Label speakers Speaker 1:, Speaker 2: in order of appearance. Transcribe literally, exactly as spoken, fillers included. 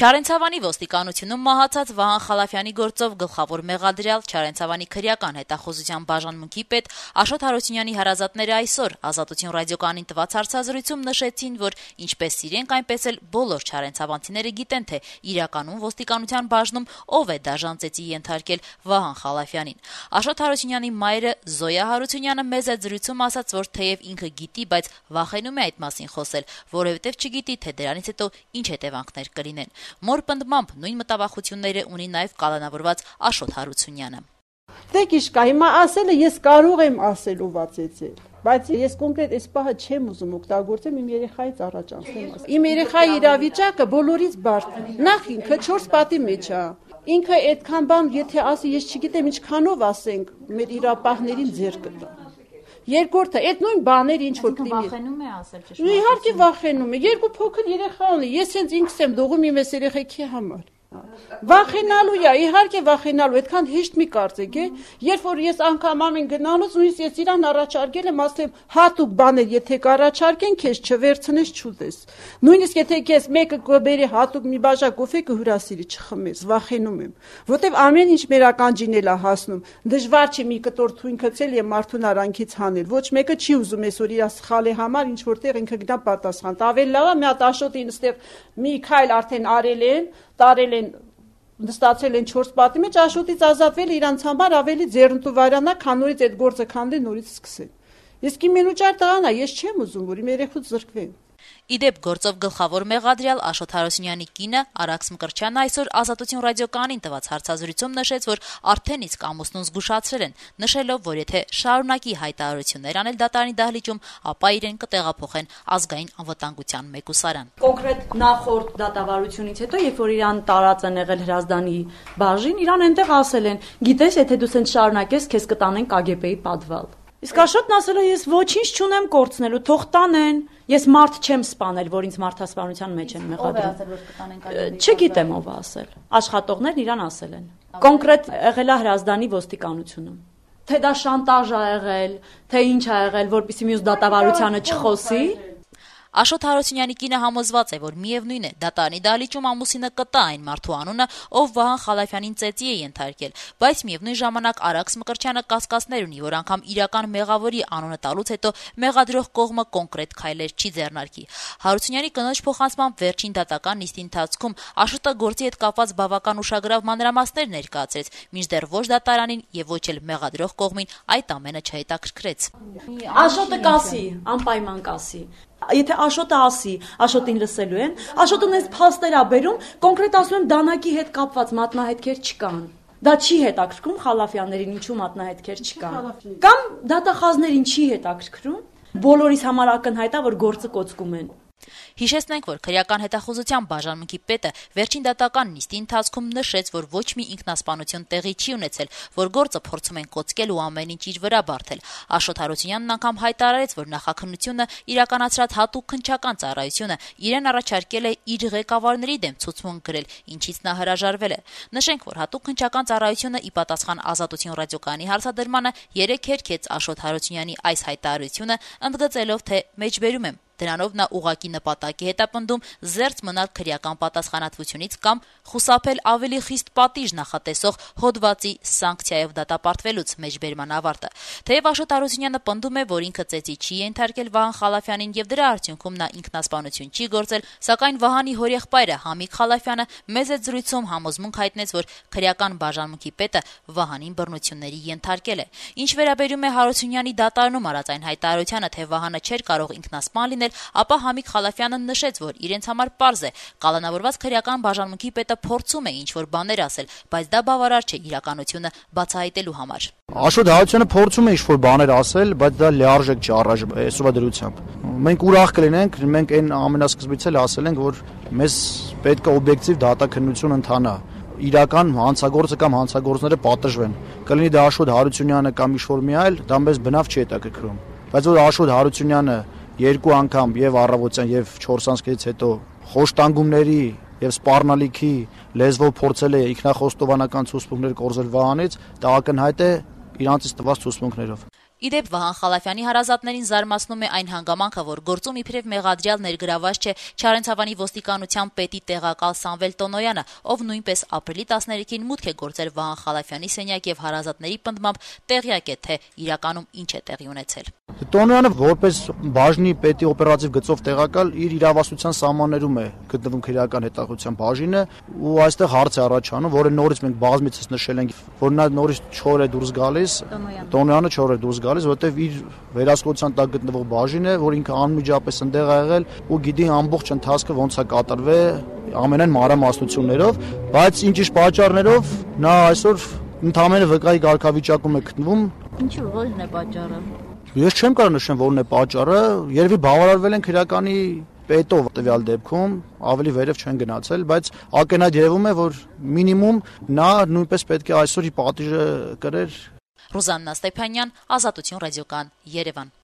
Speaker 1: Չարենցավանի ոստիկանությունում մահացած Վահան Խալափյանի գործով գլխավոր մեղադրյալ Չարենցավանի քրեական հետախուզության բաժանմունքի պետ Աշոտ Հարությունյանի հարազատները այսօր Ազատություն ռադիոկայանին տված հարցազրույցում նշեցին, որ ինչպես իրենք, այնպես էլ բոլոր չարենցավանցիները գիտեն, թե իրականում ոստիկանության բաժնում ով է դաժան ծեծի ենթարկել Վահան Խալափյանին։ Աշոտ Հարությունյանի մայրը Զոյա Հարությունյանը մեծ է զրույցում ասաց, որ թեև ինքը գիտի, բայց վախենում է այդ մասին խոսել, որովհետև չգիտի, թե դրանից հետո ինչ հետևանքներ կլինեն։ Մոր պնդմամբ նույն մտավախությունները ունի նաև կալանավորված Աշոտ Հարությունյանը։
Speaker 2: Դե գիշկա, հիմա ասելը ես կարող եմ ասել ու վացեցել, բայց ես կոնկրետ այս պահը չեմ ուզում օգտագործեմ իմ երեխայից առաջ անցնեմ ասել։ Իմ երեխայի իրավիճակը բոլորից բարդ է։ Նախ ինքը չորս պատի մեջ է։ Ինքը այդքան բան, եթե ասի, ես չգիտեմ ինչքանով ասենք, մեր իրապահներին ձեր կտա։ Երկրորդը, այդ նույն բաները ինչ որ կլինի։
Speaker 1: Վախենում է ասել ճշմարտությունը։
Speaker 2: Իհարկե վախենում է։ Երկու փոքր երեխա ունի։ Ես հենց ինքս եմ դողում իմ այս երեխեքի համար։ Վախենալու է, իհարկե վախենալու, այդքան հեշտ մի կարծեք, է։ Երբ որ ես անգամ ամեն գնալուց նույնիսկ ես իրան առաջարկել եմ, ասել եմ հատուկ բաներ, եթե կառաջարկեն, քեզ չվերցնես, չուտես։ Նույնիսկ եթե քեզ մեկը կբերի հատուկ մի բաժակ կոֆե կհյուրասիրի, չխմես, վախենում եմ, որտեվ ամեն ինչ մեր ականջին էլ է հասնում։ Դժվար չէ մի կտոր թույն գցել եւ մարդուն արանքից հանել։ Ոչ մեկը չի ուզում այսօր իր սխալի համար ինչ որտեղ ինքը գնա պատասխան։ Ավելի լավ է մի հատ Աշոտին այստեղ մի քայլ արդեն արել են, տարել են նստացել են չորս պատի մեջ, Աշոտից ազատվել իրանց համար ավելի ձեռնտու վարանա, քան նորից այդ գործը քանդեն, նորից սկսեն։ Իսկ իմ մենուճար տղան է, ես չեմ ուզում, որ իմ երեխուց զրկվեն։
Speaker 1: Իդեպ գործով գլխավոր մեղադրյալ Աշոտ Հարությունյանի կինը Արաքս Մկրտչյանը այսօր Ազատություն ռադիոկայանին տված հարցազրույցում նշեց, որ արդեն իսկ ամուսնուն զգուշացրել են, նշելով, որ եթե շարունակի հայտարարություններ անել դատարանի դահլիճում, ապա իրեն կտեղափոխեն ազգային անվտանգության մեկուսարան։
Speaker 3: Կոնկրետ նախորդ դատավարությունից հետո, երբ որ իրան տարած են եղել Հրազդանի բաժին, իրան այնտեղ ասել են, գիտես, եթե դու սենց շարունակես, քեզ կտանեն Կ Գ Բ-ի պատվալ։ Իսկ Աշոտն ասել է, ես ոչինչ չունեմ կորցնելու, թող տանեն, ես մարդ չեմ սպանել, որ ինձ մարդասպանության մեջ են մեղադրում։ Չգիտեմ ով է ասել։ Աշխատողներն իրան ասել են։ Կոնկրետ եղել է Հրազդանի ոստիկանությունում։ Թե դա շանտաժ ա եղել, թե ինչ ա եղել, որպեսզի մյուս դատավարությանը չխոսի։
Speaker 1: Աշոտ Հարությունյանի կինը համոզված է, որ միևնույն է, դատարանի դահլիճում ամուսինը կտա այն մարդու անունը, ով Վահան Խալափյանին ծեծի է ենթարկել, բայց միևնույն ժամանակ Արաքս Մկրտչյանը կասկածներ ունի, որ անգամ իրական մեղավորի անունը տալուց հետո մեղադրող կողմը կոնկրետ քայլեր չի ձեռնարկի։ Հարությունյանի կնոջ փոխանցմամբ վերջին դատական նիստի ընթացքում Աշոտը գործի հետ կապված բավական ուշագրավ մանրամասներ ներկայացրեց, մինչդեռ ոչ դատարանին եւ ոչ էլ մեղադրող կողմին այդ ամենը չհետաքրքրեց։
Speaker 3: Աշոտը կասի, անպայման կասի։ Եթե Աշոտը ասի, Աշոտին լսելու են, Աշոտն այս փաստեր ա բերում, կոնկրետ ասում եմ դանակի հետ կապված մատնահետքեր չկան։ Դա չի հետաքրքրում Խալափյաններին, ինչու մատնահետքեր չկան։ Կամ դատախազներին չի հետաքրքրում, բոլորիս համար ակնհայտ է, որ գործը կոծկում են։
Speaker 1: Հիշեցնենք, որ քրեական հետախուզության բաժանմունքի պետը վերջին դատական նիստի ընթացքում նշեց, որ ոչ մի ինքնասպանություն տեղի չի ունեցել, որ գործը փորձում են կոծկել ու ամեն ինչ իր վրա բարթել։ Աշոտ Հարությունյանն անգամ հայտարարեց, որ նախաքննությունը իրականացրած հատուկ քննչական ծառայությունը իրեն առաջարկել է իր ղեկավարների դեմ ցուցմունք գրել, ինչից նա հրաժարվել է։ Նշենք, որ հատուկ քննչական ծառայությունը ի պատասխան Ազատություն ռադիոկայանի հարցադրմանը երեք հերքեց Աշոտ Հարությունյանի այս հայտարարությունը, ընդգծելով, թե մեջբերում եմ։ Դրանով նա ուղղակի նպատակի հետ է պնդում զերծ մնալ քրեական պատասխանատվությունից կամ խուսափել ավելի խիստ պատիժ նախատեսող հոդվածի սանկցիայով դատապարտվելուց մեջբերման ավարտը։ Թեև Աշոտ Հարությունյանը պնդում է, որ ինքը ծեծի չի ենթարկել Վահան Խալափյանին եւ դրա արդյունքում նա ինքնասպանություն չի գործել, սակայն Վահանի հորեղբայրը Համիկ Խալափյանը մեծ է զրույցում համոզմունք հայտնեց, որ քրեական բաժանմունքի պետը Վահանին բռնությունների ենթարկել է։ Ինչ վերաբերում է Հարությունյանի դատարանում արած այն հայտարարությանը, թե Վահանը չէր կարող ինքնասպան լինել, ապա Համիկ Խալափյանը նշեց, որ իրենց համար պարզ է, կալանավորված քրեական բաժանմունքի պետը փորձում է ինչ-որ բաներ ասել, բայց դա բավարար չէ իրականությունը բացահայտելու համար։
Speaker 4: Աշոտ Հարությունյանը փորձում է ինչ-որ բաներ ասել, բայց դա լիարժեք չի առայժմ այսօրվա դրությամբ։ Մենք ուրախ կլինենք, մենք այն ամենասկզբից էլ ասել ենք, որ մեզ պետք է օբյեկտիվ դատաքննություն ընթանա, իրական հանցագործը կամ հանցագործները պատժվեն։ Կլինի դա Աշոտ Հարությունյանը կամ ինչ-որ մի այլ, դա մեզ բնավ չի հետաքրքրում։ Բայց որ Աշոտ Հարությունյանը երկու անգամ եւ առավոտյան եւ չորս անցքից հետո խոշտանգումների եւ սպառնալիքի լեզվով փորձել է ինքնախոստովանական ցուցմունքներ կորզել Վահանից, դա ակնհայտ է իրանցից տված ցուցմունքներով։
Speaker 1: Ի դեպ Վահան Խալափյանի հարազատներին զարմացնում է այն հանգամանքը, որ գործում իբրև մեղադրյալ ներգրավված չէ Չարենցավանի ոստիկանության պետի տեղակալ Սամվել Տոնոյանը, ով նույնպես ապրիլի տասներեքին մուտք է գործել Վահան Խալափյանի սենյակ եւ հարազատների պնդմամբ տեղյակ է, թե իրականում ինչ է տեղի ունեցել։
Speaker 4: Տոնոյանը որպես բաժնի պետի օպերատիվ գծով տեղակալ իր իրավասության սահմաններում է գտնվում քրեական հետախուզության բաժինը ու այստեղ հարց է առաջանում, որը նորից մենք բազմիցս նշել ենք, որ նա նորից չոր է դուրս գալիս, Տոնոյանը չոր է դուրս գալիս, որտեղ իր վերահսկողության տակ գտնվող բաժին է, որ ինքը անմիջապես ընդեղ է եղել ու գիտի ամբողջ ընթացքը ոնց է կատարվել ամենայն մանրամասնություններով, բայց ինչ-ինչ պատճառներով նա այսօր ընդհանրապես վկայի կարգավիճակում է գտնվում։
Speaker 1: Ինչու որն է պատճառը։
Speaker 4: Ես չեմ կարող նշեմ որն է պատճառը, երևի բավարարվել են քրեականի պետով տվյալ դեպքում, ավելի վերև չեն գնացել, բայց ակնհայտ երևում է, որ մինիմում նա նույնպես պետք է այսօր իր պատիժը կրեր։
Speaker 1: Ռուզաննա Ստեփանյան, Ազատություն ռադիոկան, Երևան։